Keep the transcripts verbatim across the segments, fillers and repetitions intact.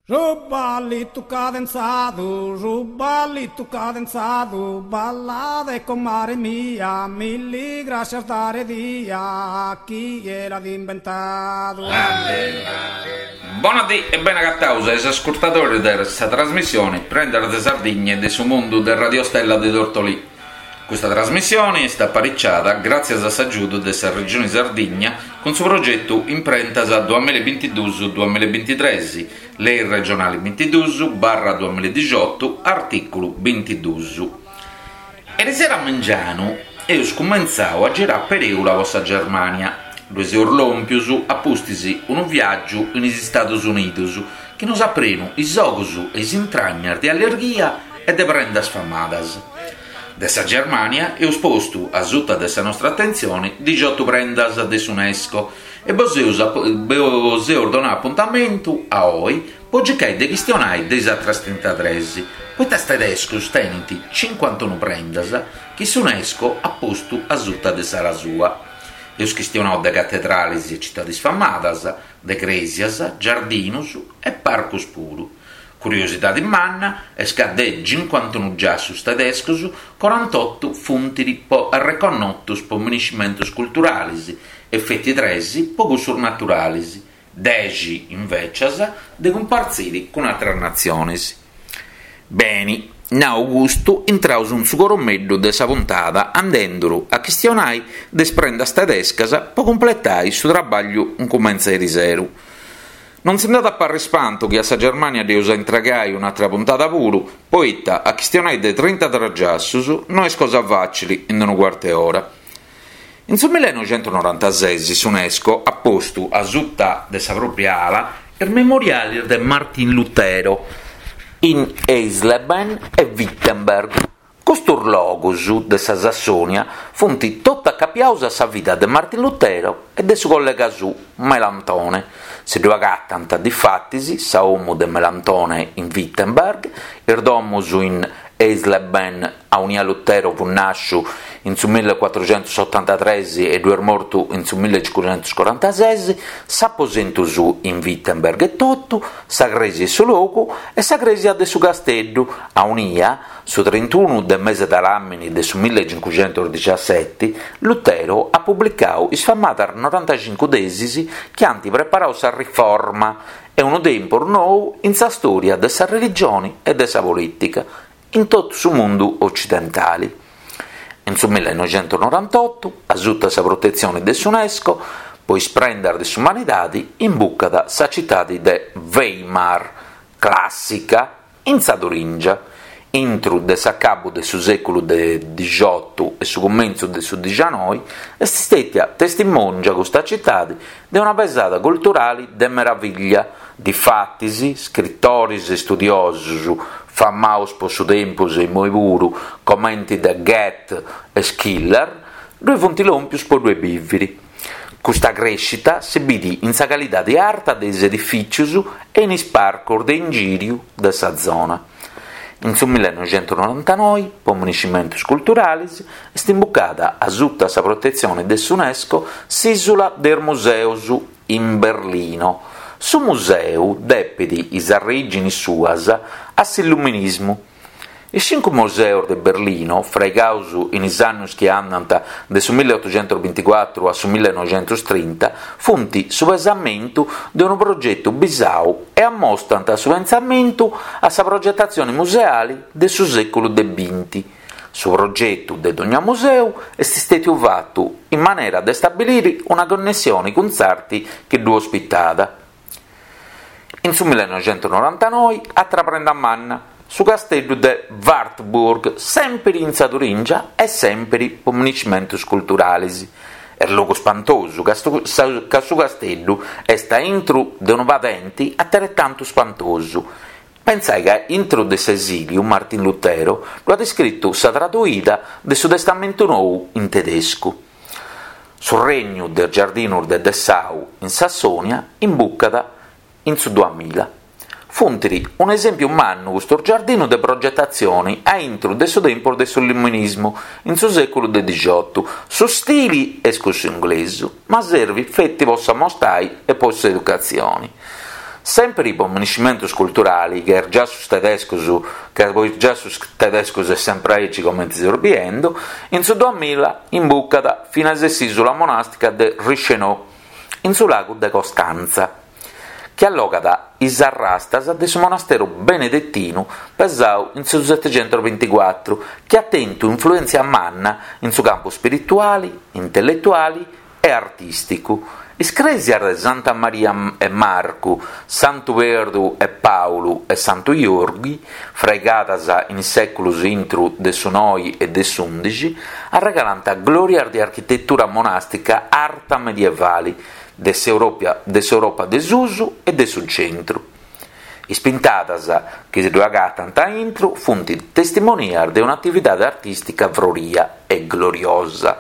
Su ballitu cadenzadu, su ballitu cadenzadu, ballade comare mia, milli grascias dare dia, chie l'at imbentadu. Bona dì e bene agataus a is ascurtadoris de sa trasmissioni Prendas de Sardigna e de su mundu de Radio Stella de Tortolì. Custa trasmissioni est apariciada gràtzias a s'agiudu de sa Regioni Sardigna cun su progetu Imprentas duamilla e bintiduus duamilla e bintitres, Lei regionali bintiduus barra duamilla e dixiotu, artìculu bintiduus. Erisero a mengianu eus cumentzau a girai a perèula po sa Germània. Ddoi seus lòmpius a pustis unu viàgiu in is Stadus Unidus chi nos at prenu is ogus e is intragnas de allirghia e de prendas famadas. De sa Germània eus postu a suta de sa nostra atentzioni dixiotu prendas de s'UNESCO e bos eus bos eus donau apuntamentu a oi po circai de chistionai de is atras trintatres, poita is tedescus tenint cincuantunu prendas chi s'UNESCO at postu a suta de s'ala sua. Eus chistionau de catedralis e citadis famadas, de crèsias, giardinus e parcus puru. Curiosidadi manna est ca de cincuantunu giassus tedescus, corantotu funt arreconnotus po miniscimentus culturalis e feti tres po cussus naturalis, dexi invècias de cumpartziri cun atras natzionis. Beni, nau custu, intraus in su coromeddu de sa puntada andenduru a chistionai de is prendas tedescas po cumpletai su trabagliu incumentzau eriseru. Non si nd'at a parri spantu chi a sa Germània dd'eus a intregai un'atra puntada puru, poita a chistionai de trintatres giassus no est cosa fàcili in unu cuartu 'e ora. In su millenoixentusnorantases s'UNESCO at postu a suta de sa pròpria ala is memorialis de Martin Lutero in Eisleben e Wittenberg. Custus logus de sa Sassònia funt totu acapiaus a sa vida de Martin Lutero e de su collega suu Melantone. Si ddu agatant difatis sa 'omu de Melantone in Wittenberg, is domus in Eisleben aunia Lutero fut nàsciu in su millecuatruxentusotantatres e ddu est mortu in su millecincuxentuscorantases, s'aposentu suu in Wittenberg etotu, sa crèsia 'e su logu e sa crèsia de su casteddu, aunia, su trintunu de mese de làmini de su millecincuxentusdixaseti, Lutero at publicau is famadas norantacincu tesis chi ant preparau sa Riforma e unu tempus nou in sa stòria de sa religioni e de sa polìtica in totu su mundu ocidentali. In su millenoixentusnorantotu, a suta sa protetzioni de s'UNESCO, po is prendas de s'umanidadi imbucat sa citadi de Weimar, clàssica, in sa Turingia. Intru de s'acabu de su sèculu de dixiotu e su cumentzu de su dixanoi est stètia testimòngia custa citadi de una pesada culturali de meravìllia, difatis scritoris e studiosus famaus po su tempus e immoi puru comenti de Goethe e Schiller ddoi funt lòmpius po ddoi bìviri. Custa crèscita si bit in sa calidadi arta de is edifìtzius e in is parcos de ingìriu de sa zona. In su millenoixentusnorantanoi, po miniscimentus culturalis, est imbucada a suta sa protetzione de s'UNESCO s'Ìsula de is Museos in Berlino. Su museu depet is arrèiginis suas a s'Illuminismu. Is cincu museos de Berlino, fraigaus in is annos chi andant de su milleotuxentusbinticuatru a su millenoixentustrinta, funt su pesamentu de unu progetu bisau e ammostant su pensamentu a sa progetatzione museale de su sèculu de binti. Su progetu de dogna museu est istètiu fatu in manera de stabilire una connessione cun s'arte chi ddu ospitat. In su millenoixentusnorantanoi, atra prenda manna, su casteddu de Wartburg, sèmpiri in sa Turingia e sèmpiri po miniscimentus culturales. Est logu spantosu, ca su casteddu est a intru de unu padente ateretantu spantosu. Pensai ca intro de s'esìliu Martin Lutero ddu at iscritu sa traduida de su Testamentu Nou in tedescu. Su regnu de is giardinus de Dessau in Sassònia imbucat in su duamilla. Funt un'esèmpiu mannu custos giardinus de progetatzione a intro de su tempus de s'Illuminismu, in su sèculu de dixiotu. Su stili est cussu inglesu, ma servit feti po s'ammostai e po s'educatzione. Sempri po miniscimentus culturali, che is giassus tedescus, che po is giassus tedescus est sempri aici comenti seus biendu, in su duamilla imbucat finas s'isula monastica de Reichenau, in su lagu de Costanza, chi allogat is arrastas de su monasteru benedettinu pesau in su setecentusbinticuatru, chi at tentu influentzia manna in su campu spirituali, intelletuali e artisticu. Is cresias de Santa Maria e Marcu, Santu Perdu e Paulu e Santu Iorghi, fraigadas in is sèculos intru de su noi e de s'undixi, arregalant glòrias de architetura monàstica arta medievali de s'Europa de s'Europa de susu e de su centru. Is pintadas chi si ddu agatant a intru funt testimonias de un'atividade artìstica froria e gloriosa.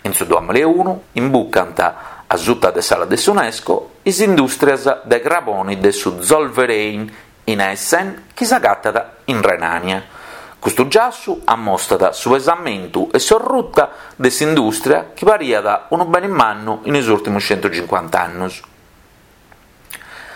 In su duamilla e unu imbucant a suta de s'ala de s'UNESCO is indùstrias de craboni de su Zollverein in Essen chi s'agatat in Renània. Custu giassu ammostat su pesamentu e s'orruta de s'indùstria chi pariat unu bene mannu in is ùrtimos centucincuanta annos.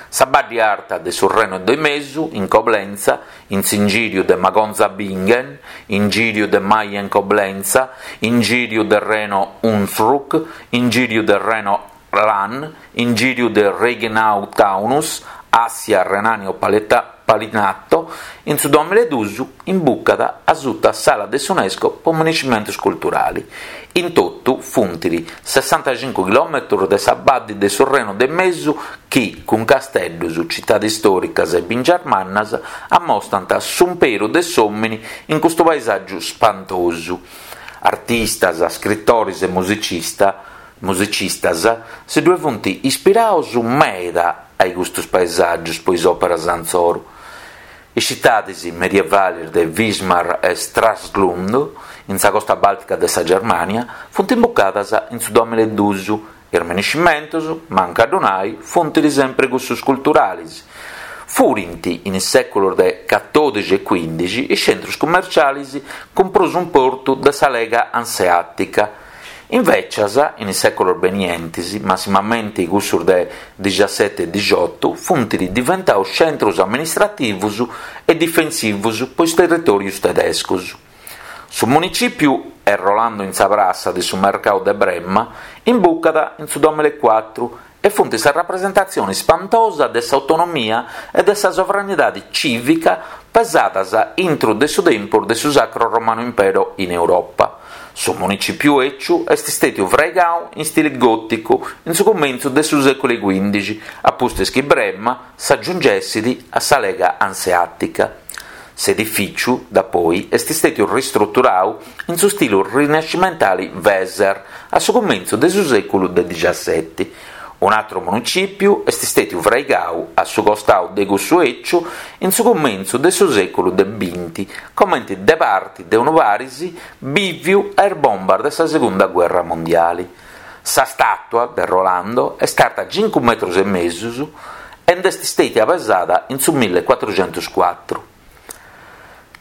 Sa Baddi Arta de su Reno de Mesu, in Coblenza, in s'ingìriu de Magonza-Bingen, ingìriu de Mayen-Coblenza, ingìriu de Reno-Hunsrück, ingìriu de Reno-Lahn, ingìriu de Reichenau-Taunus, Assia Renanio-Palatinato, in su duamilla e duus imbucat a suta s'ala de s'UNESCO po miniscimentus culturali. In totu funt sessantacincu chilòmetrus de sa Baddi de su Reno de Mesu chi, cun casteddus, citades istòricas e bìngias mannas, ammostant s'umperu de s'òmini in custu paesàgiu spantosu. Artistas, scritores e musicista, musicistas si ddue funt ispirados meda a custos paesàgios po is òperas antzoru. Is citades medievales de Wismar e Stralsund, in sa costa bàltica de sa Germània, funt imbucadas in su duamilla e duus. Is miniscimentos, mancu a ddu nai, funt sempre cussos culturales. Furint in is sèculos de catòdixi e quindixi is centros cummerciales cun prus importu de sa Lega Anseàtica. Invecias, in is sèculos benientes, massimamente cussos de diciassete e diciotto, funt diventados centros amministrativos e difensivos po is territòrios tedescos. Su municìpiu e Rolando in sa prassa de su mercadu de Brema imbucat in su duamilla e cuatru e funt sa rapresentatzione spantosa de s'autonomia e de sa sovranidade cìvica pesadas intro de su tempus de su Sacro Romano Impero in Europa. Su municìpiu ecciu est stètiu fraigadu in stile gòticu in su cumentzu de su sèculu quindixi, a pustis chi Brema s'aggiungessit a sa Lega Anseàtica. S'edifìciu, da poi, est stètiu ristruturadu in su stile rinascimentale Weser a su cumentzu de su sèculu de diciassete. Un altro municìpiu est stètiu fraigadu a su costadu de cussu ecciu in su cumentzu de su sèculu de binti, comente de parte de unu paris bìviu a is bombas de sa Segunda Guerra Mondiale. Sa statua de Rolando est arta cincu metros e mesus ed est stètia pesada in su millecuatrucentuscuatru.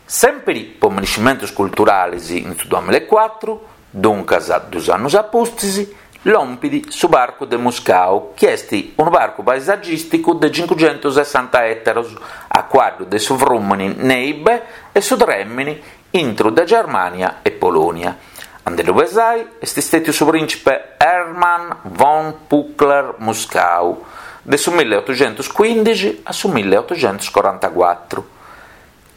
Sempre po miniscimentos culturales in su duamilla e cuatru, duncas dus annos a pustis, lompit su Parcu de Muskau, chi est unu parcu paesagìsticu de cincucentosessanta ètaros a cuaddu de su frùmene Neibe e su Trèmene intro de Germània e Polònia. A nde ddu pesai est stètiu su prìncipe Hermann von Pückler-Muskau de su milleotocentusquindixi a su milleotocentuscorantacuatru.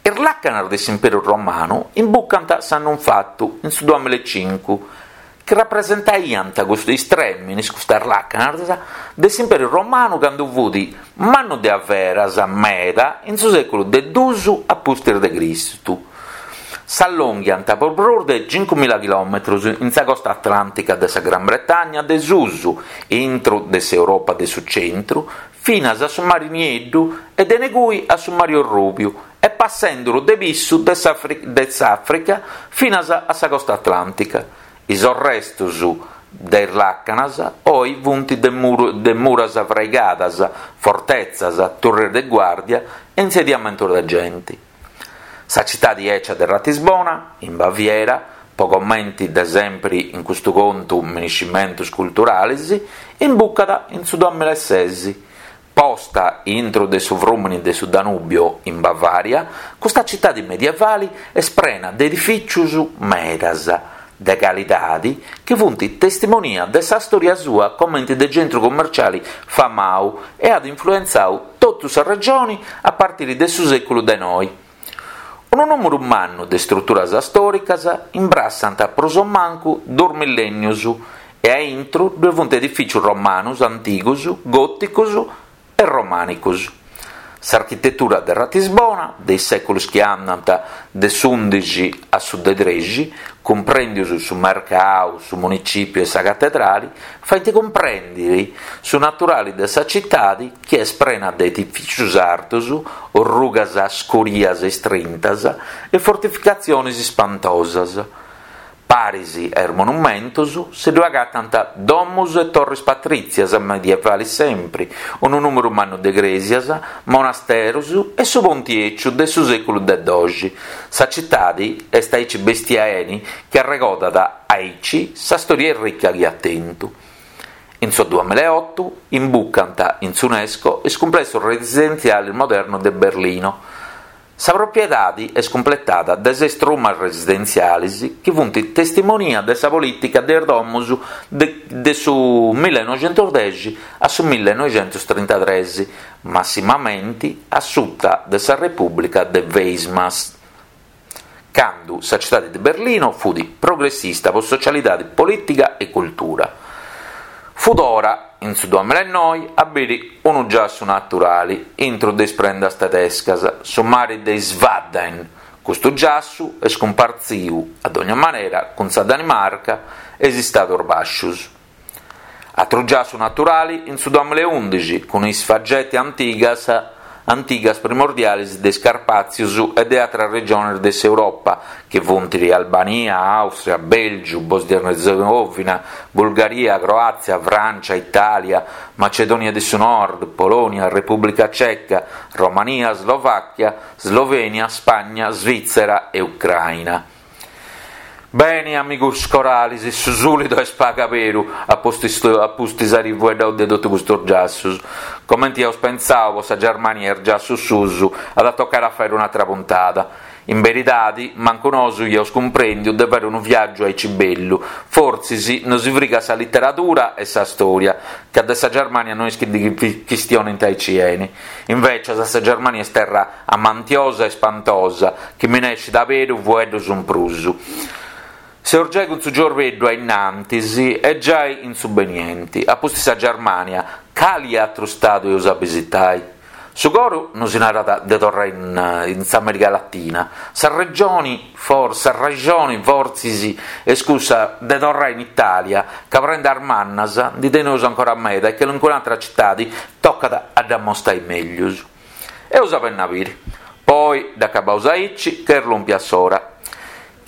Is làcanas de s'Imperu Romanu imbucant s'annu infatu, in su duamilla e cincu, chi rapresentaiant custos trèmines, custas làcanas, de s'Imperu Romanu cando fut mannu de averas meda in su sèculu de dus a pustis de Cristu. S'allonghiant po prus de cincumila chilòmetros in sa costa atlàntica de sa Gran Bretagna de susu, intro de s'Europa de su centru, finas a su Mari Nieddu e de negui a su Mari Orrùbiu, e passenduru de pissu de s'Àfrica finas a sa costa atlàntica. Is orrestos de is làcanas oi funt de, muru, de muras fraigadas, fortetzas, turres de guàrdia e insediamentos de gente. Sa citade eccia de Ratisbona, in Baviera, po commenti de sempre in custu contu miniscimentos culturales, imbucat in su duamilla e ses, Posta intro de su frùmene de su Danubio in Bavaria, custa citade medievale est prena de edifìtzios medas de calidade chi sunt testimonia de sa stòria sua comente de centru commerciale famadu e at influentzadu totu sa regione a partire de su sèculu de noe. Unu nùmeru mannu de istruturas stòricas imbrassant prus o mancu duos millènnios e a intro ddoe sunt edifìtzios romanos, antigos, gòticos e romànicos. S'architetura de Ratisbona, de is sèculos chi andant de s'ùndixi a su de trexi, cumprèndios su mercau, su municìpiu e sa catedrale, faint cumprèndere su naturale de sa citade chi est prena de edifìtzios artos, orrugas scurias e istrintas e fortificatziones ispantosas. Paris a is monumentos si ddoe agatant domos e torres patrìtzias medievales sempre, unu nùmeru mannu de crèsias, monasteros e su ponte ecciu de su sèculu de doxi. Sa citade est aici bestia 'eni chi arregodat aici sa stòria ricca chi at tentu. In su duamillaeoto imbucant in s'UNESCO is cumplessos residentziales modernos de Berlino. Sa propiedade est cumpletada de ses trumas residentziales chi sunt testimonia de sa polìtica de is domos de, de su millenoixentosdexi a su millenoixentostrintatrès, massimamente a suta de sa Repùblica de Weimar, cando sa citade de Berlino fut progressista pro socialidade, polìtica e cultura. Fut ora, in su duamillaenoe, a biri unu giassu naturale intro de is prendas tedescas, su mare de is Wadden. Custu giassu est cumpartziu, a dogna manera, cun sa Danimarca e is Istados Bàscios. Atru giassu naturale in su duamillaundixi, cun is fagetti antigas antigas primordiales de is Carpàtzios e de àteras regiones de s'Europa, chi funt Albania, Àustria, Bèlgiu, Bòsnia e Erzegovina, Bulgaria, Croàtzia, Frància, Itàlia, Macedònia de su Nord, Polònia, Repùblica Ceca, Romania, Slovàchia, Slovènia, Spagna, Svìtzera e Ucraina. Beni, amigos corales, su sùlidu est pagu beru a pustis, a pustis àere fueddadu de totu custos giassos. Comente iaus pensadu po sa Germania e is giassos suus, at a toccare a fare un'altra puntada. In veridade, mancu nosu iaus cumprendiu de fare unu viaggiu aici bellu. Fortzis non si frigat sa literatura e sa storia, ca de sa Germania non est chi chistionint aici 'eni. Invece sa Germania est terra amantiosa e spantosa, chi minescit aberu fueddus in prus. Seus giai cun su giorbeddu a innantis e giai in su benienti. A pustis sa Germania, cali atru stadu eus a visitai? Su coru non si narat de torrare in, in s'America Latina. Sa regione, forse, sa regione fortzis est cussa de torrare in Italia, ca prendas mannas ndi teneus ancora meda e che in un'altra cittade tocat a dd'ammostai meglius. Eus a benni a biri. Poi, dd'acabaus aici, che est lùmpia s'ora.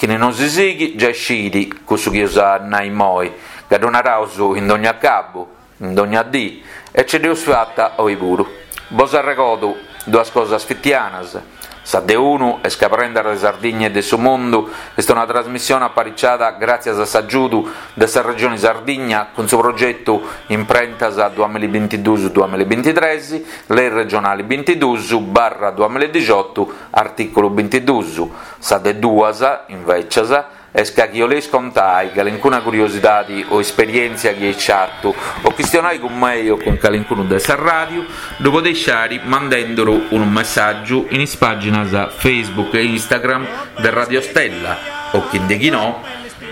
Chini non si sighi, già scidi cussu chi eus a nai moi, ca ddu naraus in dogna cabu, in dogna dì, e ce dd'eus fatta oi puru. Bos arregodu duas cosas fitianas. Sa de unu est ca Prendas de Sardigna e de su Mundu est una trasmissione apariciada gràtzias a s'agiudu de sa Regione Sardigna cun su progetu Imprentas duamillabintiduus duamillabintitres, Lei regionale bintiduus barra duamiladixotu, articulu bintiduus. Sa de duas, invecias, est ca chi 'oleis contai calincuna curiosidade o esperièntzia chi eis fatu o chistionai cun mei o cun calincunu de sa ràdiu, ddu podeis fari mandenduru unu messàgiu in is pàginas Facebook e Instagram de Radio Stella o chi no,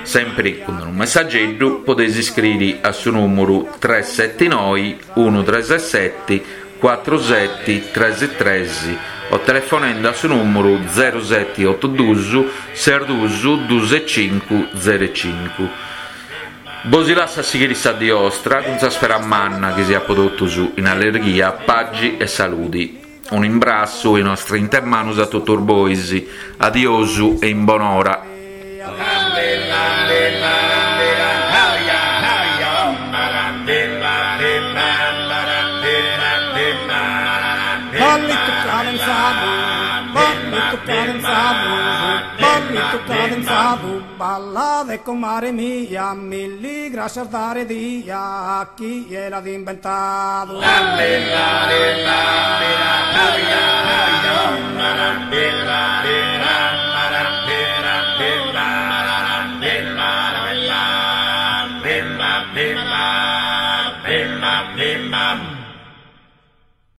sempre cun unu messageddu podeis iscriri a su nùmeru tres sette noe unu tres sette cuatru sette tres tres o telefonendo a su nùmeru zero sette otto duus ses duus duus cincu zero cincu. Bos lasso a sighire sa die 'ostra cun sa spera manna chi siat po totus in allegria, pagi e saludi. Un imbrassu e una strinta 'e manus a totus bois. Adiosu e in bonora. Ballito Ballitu cadenzadu, ballitu cadenzadu, ballitu cadenzadu, ballade comare mia, milli grascias dare dia a chie l'at imbentadu.